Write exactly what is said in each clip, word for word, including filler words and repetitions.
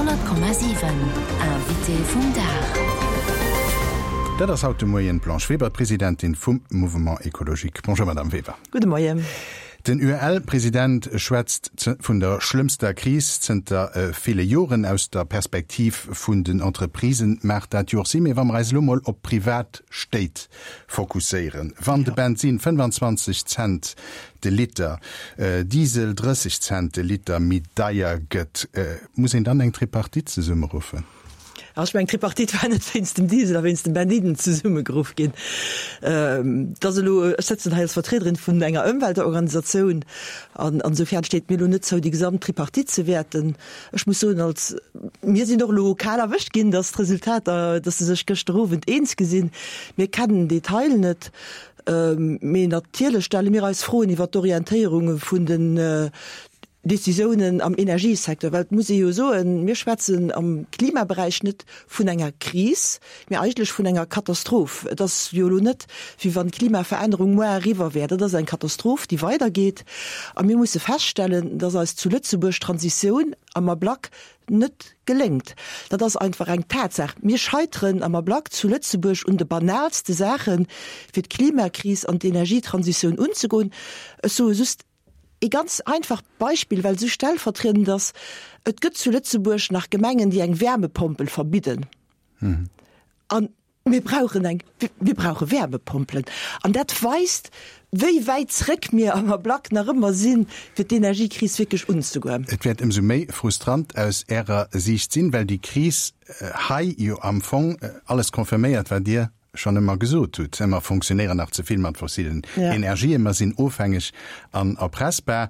Honnert Komma siwen, Invité vum Dag. Dat ass haut de Moien d'Blanche Weber, d'Presidentin vum Mouvement Ecologique. Bonjour Madame Weber. Gudde Moien. Den U E L-President schwätzt vun der schlëmmster Kris zënter ville Joren. Aus der Perspektiv vun den Entreprisen mag dat jo och sinn, mee wa mer eis elo mol op privat Stéit fokusséieren, wann de Bensin fënnefanzwanzeg Cent de Liter, Diesel drësseg Cent de Liter méi deier gëtt, muss een dann eng Tripartite zesummeruffen? Ech mengen, d'Tripartite war net wéinst dem Diesel a wéinst dem Bensinen zesummegeruff ginn. Dat ass elo, ech sëtzen hei als Vertriederin vun enger Ëmweltorganisatioun an insofern steet mir elo net zou, déi gesamt Tripartite ze wäerten. Ech muss soen, als, mir sinn och elo kal erwëscht ginn, dass d'Resultater, dass se sech gëschter Owend eens gi sinn. Mir kennen den Detail net, mee natierlech stelle mir eis Froen iwwer d'Orientéierunge vun den Decisiounen am Energiesecteur, well et muss ee jo soen, mir schwätzen am Klimaberäich net vun enger Kris, mee eigentlech vun enger Katastroph. Et ass jo elo net, wéi wann d'Klimaverännerung muer eriwwer wär. Dat ass eng Katastroph, déi weidergeet. A mir musse feststellen, dass eis zu Lëtzebuerg d'Transitioun am Ablack net geléngt. Dat ass einfach eng Tatsaach. Mir scheiteren am Ablack zu Lëtzebuerg un de banalste Saachen, fir d'Klimakris an d'Energietransitioun unzegoen. Ech soe just e ganz einfacht Beispill, well sou stellvertriedend ass, Et gëtt zu Lëtzebuerg nach Gemengen, déi eng Wärmepompel verbidden. An mir brauchen eng, mir brauche Wärmepompelen. An dat weist, wéi wäit zréck mir am Ablack nach ëmmer sinn, fir d'Energiekris wierklech unzegoen. Et wäert ëmsou méi frustrant aus Ärer Siicht sinn, well déi Kris hei jo am Fong alles confirméiert, wat Dir schonn ëmmer gesot hutt, mer funktionéieren nach ze vill mat fossilen Energien, mer sinn ofhängeg an erpressbar.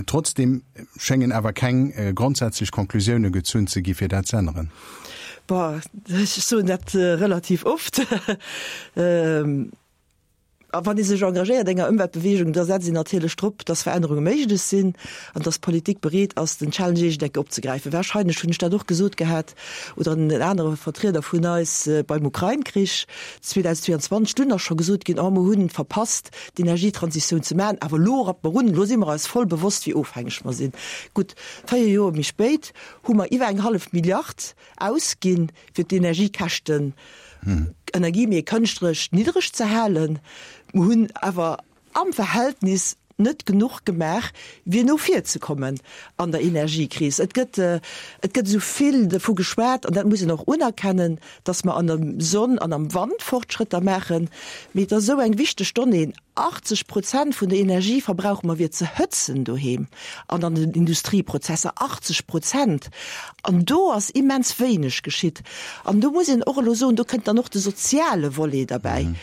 Trotzdem schéngen awer keng grondsätzlech Konklusioune gezunn ze gi fir dat ze änneren. Boah, ech soen dat relativ oft. A wann ee sech engagéiert enger Ëmweltbeweegung, da setzt een natierlech drop, dass Verännerunge méiglech sinn an dass d'Politik bereet ass, den Challenge eeschdecke opzegräifen. Warscheinlech hunn ech dat och gesot gehat oder en anere Vertrieder vun eis beim Ukrain-Krich zweedausendzweeanzwanzeg, dunn ass scho gesot ginn, oh mer hunn verpasst, d'Energietransitioun ze maachen, awer elo rappe mer un, elo si mer eis voll bewosst, wéi ofhängeg mer sinn. Gutt, véier Joer méi spéit hu mer iwwer eng hallef Milliard ausginn, fir d'Energiekäschten, ënner guillemets, kënschtlech niddreg ze halen. Mer hunn awer am Verhältnis net genuch gemaach, fir no vir ze kommen an der Energiekris. Et gëtt, et gëtt esou vill dovu geschwat, an dat muss een och unerkennen, dass mer an der Sonn an am Wand Fortschrëtter maachen, mee et ass esou eng wichteg Donnée, achtzeg Prozent vun der Energie verbrauche mer fir ze hëtzen doheem an an den Industrieprozesser, achtzeg Prozent! An do ass immens wéineg geschitt. An do muss een och elo soen, do kënnt dann och de soziale Volet derbäi.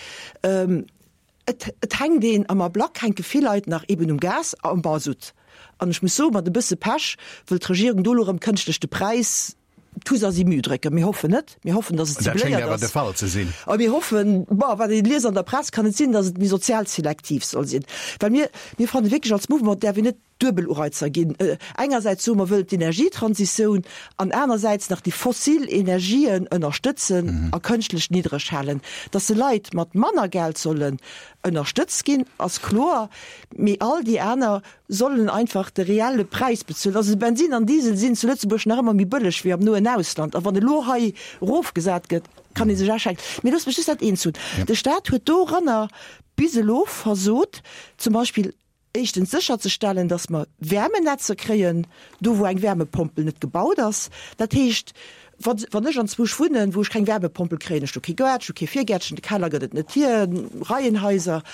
Et, et hänkt een am Ablack, hänke vill Leit nach eben um Gas a um Masutt. An ech muss soen, mat e bësse Pech wëll d'Regierung do elo erëm kënschtlech de Präis tous azimuts drécken. Mir hoffen net, mir hoffen, dass et Dat schéngt cibléiert awer de ass. Fall ze sinn. A mir hoffen, bon, wat ee liest an der Press, kann et sinn, dass et méi sozial selektiv soll sinn. Well mir, mir fanne wierklech als Mouvement, et däerf een net duebel Ureizer ginn. Engersäits soe mer, wëllen d'Energietransitioun an anersäits nach déi fossil Energien ënnerstëtzen a kënschtlech niddreg halen. Dass se Leit mat manner Geld sollen ënnerstëtzt ginn, ass kloer, mee all déi aner sollen einfach de reelle Präis bezuelen. Also de Bensin an Diesel sinn zu Lëtzebuerg nach ëmmer méi bëlleg wéi am noen Ausland. A wann elo hei erofgesat gëtt, kann ee sech aschenken. Mee loosst mech just dat eent soen. De Staat huet doranner bis elo versot, zum Beispill éischtens sécherzestellen, dass mer Wärmenetzer kréien, do wou eng Wärmepompel net gebaut ass. Dat heescht, wann, wann ech anzwousch wunnen, wou ech keng Wärmepompel kréien, ech hu kee Gaart, ech hu kee Virgäertchen, de Keller gëtt et net hier, Reihenhaiser,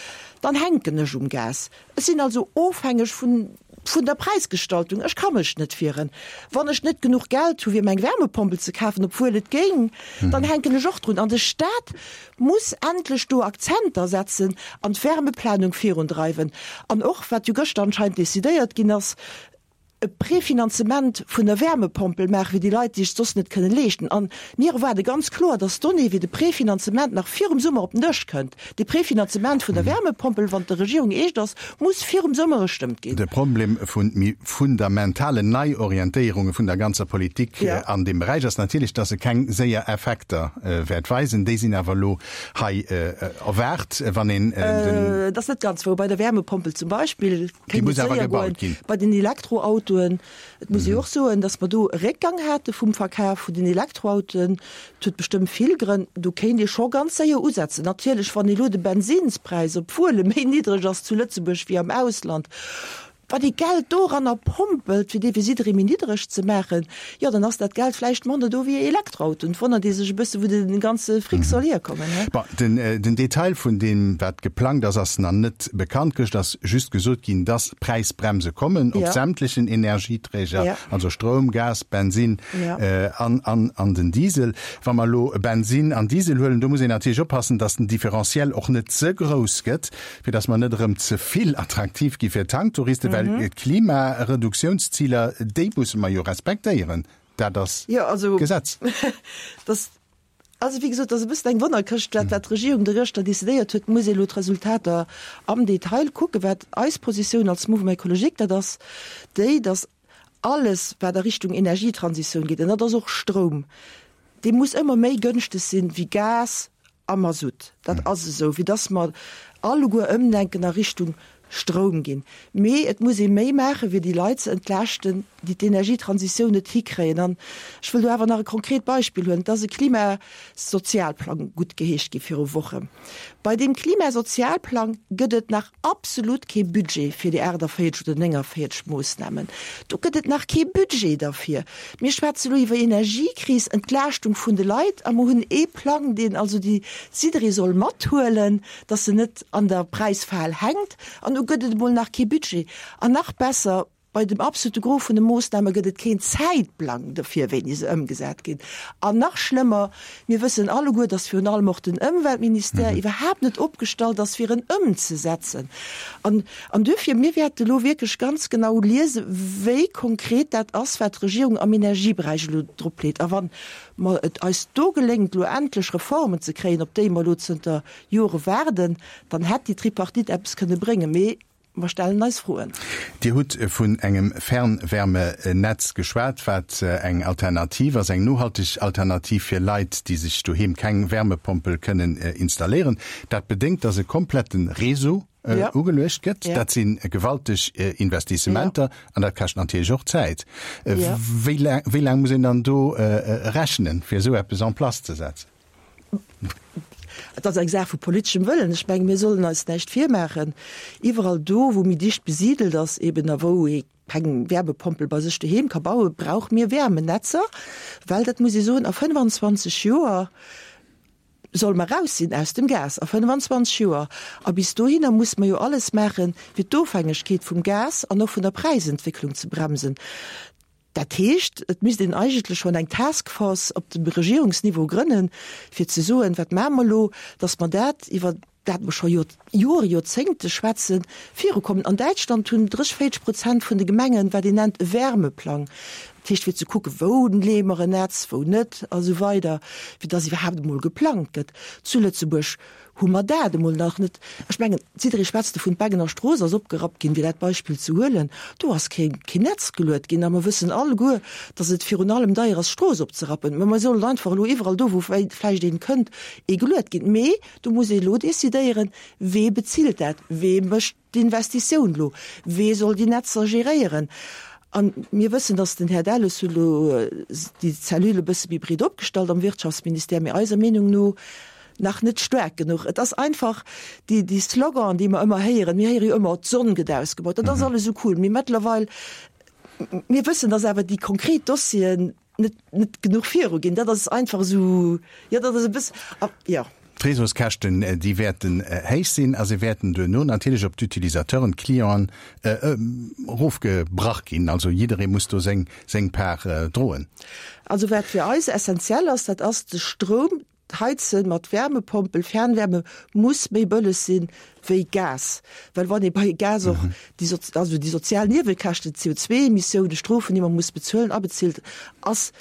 dann hänken ech um Gas. Ech sinn also ofhängeg vun, vun der Präisgestaltung. Ech ka mech net wieren. Wann ech net genuch Geld hu fir mir eng Wärmepompel ze kafen, obwuel et géing, dann hänken ech och drun. An de Staat muss endlech do Akzenter setzen an d'Wärmeplanung virundreiwen. An och, wat jo gëschter anscheinend decidéiert ginn ass, e Prefinanzement vun der Wärmepompel maachen, fir déi Leit, déi sech soss net kënnen leeschten. An mir erwaarde ganz kloer, dass d'Donnée wéi de Prefinanzement nach virum Summer op den Dësch kënnt. De Prefinanzement vun der Wärmepompel, wann d'Regierung eescht ass, muss virum Summer gestëmmt ginn. De Problem vun méi fundamentalen Neiorientéierunge vun der ganzer Politik an deem Beräich ass natierlech, dass se keng séier Effekter wäert weisen. Déi sinn awer elo hei erwaart, wann een den. Dat ass net ganz wouer. Bei der Wärmepompel zum Beispill Déi kéint muss et awer séier gebaut goen. ginn. Bei den Elektroautoen Elektroautoen. Et muss ee och soen, datt mer do e Réckgang hate vum Verkaf vun den Elektroautoen. Dat huet bestëmmt vill Grënn. Do kéint ee scho ganz séier usetzen. Natierlech, wann elo de Bensinspräis, obwuel e méi niddreg ass zu Lëtzebuerg wéi am Ausland, wann ee Geld doranner pompelt, fir dee fir jidderee méi niddreg ze maachen, jo, dann ass dat Geld vläicht manner do wéi Elektroautoen. Et wonnert ee sech e bësse wou de ganze Fric soll hierkommen, he? Bon, den, den Detail vun deem, wat geplangt ass, ass nach net bekannt. Gëscht ass just gesot ginn, dass Präisbremse kommen op sämtlechen Energieträger, also Stroum, Gas, Bensin an, an, an den Diesel. Wa mer elo Bensin an Diesel huelen, do muss een natierlech oppassen, dass den Différentiel och net ze grouss gëtt, fir dass mer net erëm ze vill attraktiv gi fir Tanktouristen, well mhm. Klimareduktiounsziler, déi musse mer jo respektéieren. Dat ass ja, also, Gesetz. Das, also wéi gesot, dat ass e bëssen eng Wonnerkëscht, wat dat d'Regierung de gëschter decidéiert huet, muss ee lo d'Resultater am Detail kucken. Wat eis Positioun als Mouvement écologique, dat ass déi, dass alles, wat a Richtung Energietransitioun geet, an dat ass och Stroum, dee muss ëmmer méi gënschteg sinn wéi Gas a Masutt. Dat ass esou, fir dass mer alleguer ëmdenken a Richtung Stroum ginn. Mee et muss ee méi maachen, fir déi Leit ze entlaaschten, déi d'Energietransitioun net hikréien. An ech wëll do awer nach e konkret Beispill huelen. Et ass e Klimasozialplang guttgeheescht gi viru Wochen. Bei deem Klimasozialplang gëtt et nach absolut kee Budget fir déi aachtavéierzeg oder néngavéierzeg Moossnamen. Do gëtt et nach kee Budget derfir. Mir schwätze lo iwwer Energiekris, Entlaaschtung vun de Leit a mer hunn ee Plang, deen also déi jidderee soll mathuelen, dass en net an der Präisfal hänkt. An do gëtt et emol nach kee Budget. An nach besser, bei dem absolute Gros vun de Moossname gëtt et keen Zäitplang dofir, wéini se ëmgesat ginn. An nach schlëmmer, mir wëssen alleguer, dass virun allem och den Ëmweltministère iwwerhaapt net opgestallt ass, fir en ëmzesetzen. An, an duerfir, mir wäerte elo wierklech ganz genau liesen, wéi konkret dat ass, wat d'Regierung am Energieberäich elo dropleet. A wann mer et eis do geléngt, elo endlech Reformen ze kréien, op déi mer elo zënter Jore waarden, dann hätt déi Tripartite eppes kënne bréngen. Mee mer stellen eis Froen. Dir hutt vun engem Fernwärmenetz geschwat, wat eng Alternativ ass, eng nohalteg Alternativ fir Leit, déi sech doheem keng Wärmepompel kënnen installéieren. Dat bedéngt, dass e komplette Réseau ugeluecht gëtt. Dat si gewalteg Investissementer an dat kascht natierlech och Zäit. Wéi laang muss een dann do rechnen, fir esou eppes en place ze setzen? Et ass eng Saach vu politeschem Wëllen. Ech mengen, mir sollen eis näischt virmaachen. Iwwerall do, wou méi dicht besidelt ass eben a wou ee keng Wärmepompel bei sech doheem ka bauen, brauche mir Wärmenetzer, well, dat muss ee soen, a fënnfanzwanzeg Joer solle mer raus sinn aus dem Gas, a fënnfanzwanzeg Joer. A bis dohinner muss mer jo alles maachen, fir d'Ofhängegkeet vum Gas an och vun der Präisentwécklung ze bremsen. Dat heescht, et misst een eigentlech schonn eng Task Force op dem Regierungsniveau grënnen, fir ze soen, Wat maache mer elo, datt mer dat, iwwer dat mer scho Joren, Joerzéngte schwätzen, virukommen? An Däitschland hunn dréch, véierzeg Prozent vun de Gemengen, wat een nennt e Wärmeplang. Dat heescht, fir ze kucken, wou leeë mer en Netz, wou net a sou weider, fir datt iwwerhaapt emol geplangt gëtt. Zu Lëtzebuerg Hu mer dat emol nach net? Ech mengen, jidderee schwätzt dovun, d'Beggener Strooss ass opgerappt ginn, fir dat Beispill ze huelen. Do ass keen, keen Netz geluet ginn. A mer wëssen alleguer, datt et virun allem deier ass, Strooss opzerappen. Mä mer sollen einfach elo iwwerall do, wou vläicht een kënnt, ee geluet ginn. Mee do muss ee elo decidéieren, Wee bezilt dat? Wee mécht d'Investitioun elo? Wee soll déi Netzer geréieren? A mir wëssen, datt den Här Delles huet elo déi Cellule e bësse méi breet opgestallt am Wirtschaftsministère, mee eiser Meenung no nach net staark genuch. Et ass einfach déi, déi Sloganen, déi mer ëmmer héieren. Mir héiere jo ëmmer, d'Sonn gëtt ausgebaut, dat ass alles esou cool. Mee mëttlerweil, mir wëssen, datt awer déi konkret Dossieren net, net genuch viruginn. Dat ass einfach esou, jo, dat ass e bëss, a, jo. D'Réseauskäschten, déi wäerten héich sinn a se wäerten duerno natierlech op d'Utilisateuren, d'Clienten erofgebrach ginn. Also jidderee muss do seng, seng Part droen. Also wat fir eis essenziell ass, dat ass de Stroum, D'Heizen mat Wärmepompel, Fernwärme, muss méi bëlleg sinn wéi Gas. Well wann ee bei Gas och déi, also déi sozial Niewekäschten, d'C O zwee Emissiounen, Strofen déi mer muss bezuelen, abezilt, ass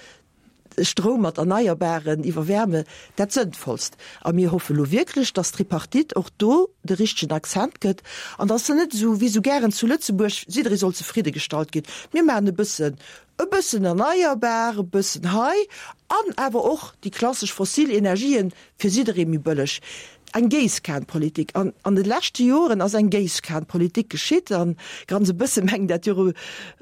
Stroum mat Erneierbaren iwwer Wärme dat Sënnvollst. A mir hoffe lo wierklech, dass d'Tripartite och do de richtegen Accent gëtt an dass se net esou wéi esou gären zu Lëtzebuerg, jidderee soll zefridde gestallt ginn, mir maachen e bëssen E bëssen erneierbar, e bëssen hei, an awer och déi klassesch fossil Energien, fir jidderee méi bëlleg. Eng Géisskanpolitik. An an de leschte Joren ass eng Géisskanpolitik geschitt an ganz e bësse mengen dat jo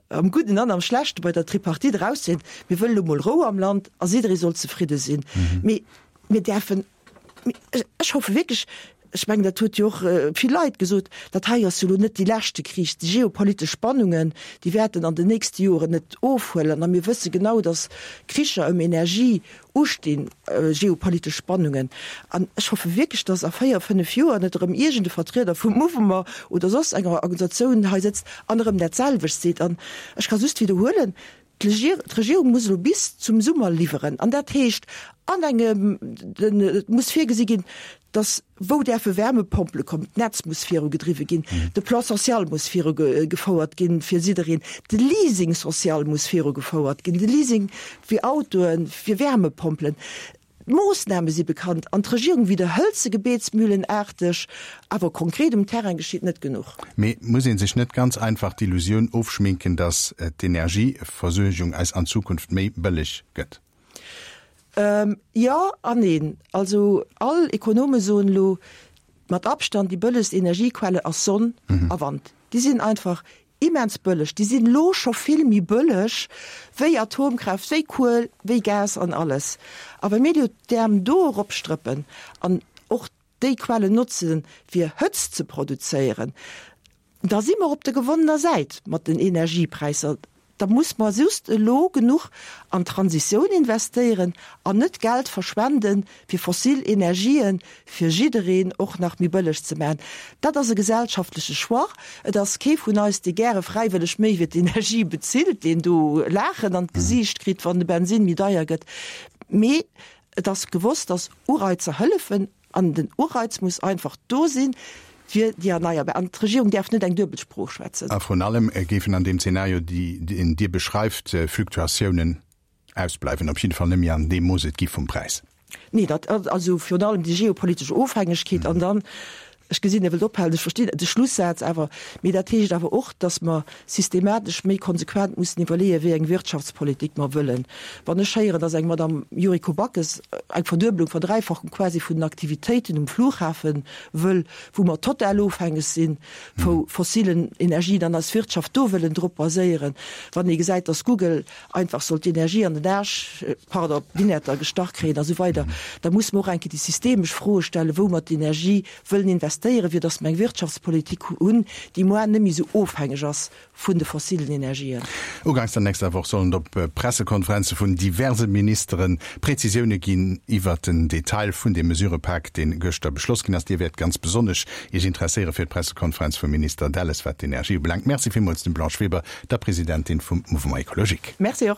am Gudden an am Schlechte bei der Tripartite eraussinn, mir wëllen elo mol Rou am Land a jidderee soll zefridde sinn. Mee mir däerfen, ech hoffe wierklech, ech mengen dat huet jo och vill Leit gesot, dat hei ass jo elo net déi leschte Kris, déi geopolitesch Spannungen, déi wäerten an den nächste Joren net ofhuelen a mir wësse genau, datt Kricher ëm Energie ustinn, geopolitesch Spannungen. An ech hoffe wierklech, datt a véier, fënnef Joer net erëm iergend e Vertrieder vum Mouvement oder soss enger Organisatioun hei sëtzt an erëm dat selwecht seet. An ech ka just widderhuelen, D'Regierung muss elo bis zum Summer liwweren. An dat heescht an engem, et muss virgesi ginn, datt wou däerfe Wärmepompele kommen, d'Netz muss virugedriwwe ginn, de Plan social muss virugefouert ginn fir jiddereen, de Leasing social muss virugefouert ginn, de Leasing fir Autoen, fir Wärmepompelen. D'Moossname si bekannt an d'Regierung widderhëlt se gebetsmühlenaarteg, awer konkret um Terrain geschitt net genuch. Mee muss ee sech net ganz einfach d'Illusioun ofschminken, datt d'Energieversuergung eis an Zukunft méi bëlleg gëtt? Jo an neen. Also all Ekonome soen elo, mat Abstand déi bëllegst Energiequelle ass Sonn a Wand. Déi sinn einfach immens bëlleg. Déi sinn elo scho vill méi bëlleg wéi Atomkraaft, wéi Kuel, wéi Gas an alles. A wa mir elo d'Äerm do eropstrëppen an och déi Quellen notzen, fir Hëtzt ze produzéieren, da si mer op der gewonnener Säit mat den Energiepräisser. Da muss mer just elo genuch an d'Transitioun investéieren an net Geld verschwenden, fir fossil Energien fir jiddereen och nach méi bëlleg ze maachen. Dat ass e gesellschaftleche Choix. Et ass kee vun eis, dee gäre fräiwëlleg méi fir d'Energie bezilt, deen do Laachen an d'Gesiicht kritt, wann de Bensinn méi deier gëtt. Mee et ass gewosst, dass Ureizer hëllefen. An den Ureiz muss einfach do sinn fir déi Erneierbar. An d'Regierung däerf net eng duebel Sprooch schwätzen. A vrun allem géifen an deem Zeenario, deen Dir beschreift, Fluktuatiounen ausbleiwen, op jidde Fall net méi an deem Mooss et gi vum Präis. Nee, dat, also virun allem déi geopolitesch Ofhängegkeet an dann, ech gesinn, Dir wëllt ophalen, ech verstinn de Schlussaz awer, mee dat heescht awer och, datt mer systematesch méi konsequent mussen iwwerleeën, wéi eng Wirtschaftspolitik mer wëllen. Wann ech héieren, datt eng Madame Yuriko Backes eng Verduebelung, Verdräifachung quasi vun den Aktivitéiten um Flughafen wëll, wou mer total ofhängeg si vu fossilen Energien an eis Wirtschaft do wëllen drop baséieren, wann ee gesäit, datt Google einfach soll d'Energie an den Aarsch, pardon, d'Minetter gestach kréien a sou weider, da musse mer och eng Kéier déi systemesch Froe stellen, wou mer d'Energie wëllen investéieren, fir datt mer eng Wirtschaftspolitik hunn, déi muar net méi esou ofhängeg ass vun de fossilen Energien. Uganks der nächster Woch sollen et op Pressekonferenze vun diverse Ministere Prezisioune ginn iwwert den Detail vun deem Mesurëpak, dee gëschter beschloss ginn ass. Dir wäert ganz besonnesch Iech interesséiere fir d'Pressekonferenz vum Minister Delles, wat d'Energie ubelaangt. Merci villmools dem Blanche Weber, der Presidentin vum Mouvement Ecologique. Merci och.